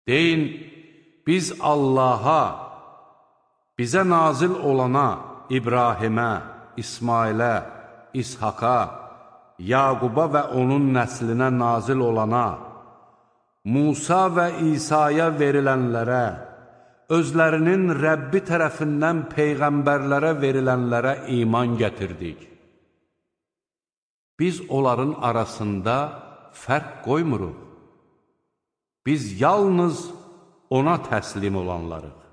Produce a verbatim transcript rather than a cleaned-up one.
Deyin, biz Allaha, bizə nazil olana, İbrahimə, İsmailə, İshaqa, Yaquba və onun nəslinə nazil olana, Musa və İsa'ya verilənlərə, özlərinin Rəbbi tərəfindən peyğəmbərlərə verilənlərə iman gətirdik. Biz onların arasında fərq qoymuruq. Biz yalnız ona təslim olanlarıq.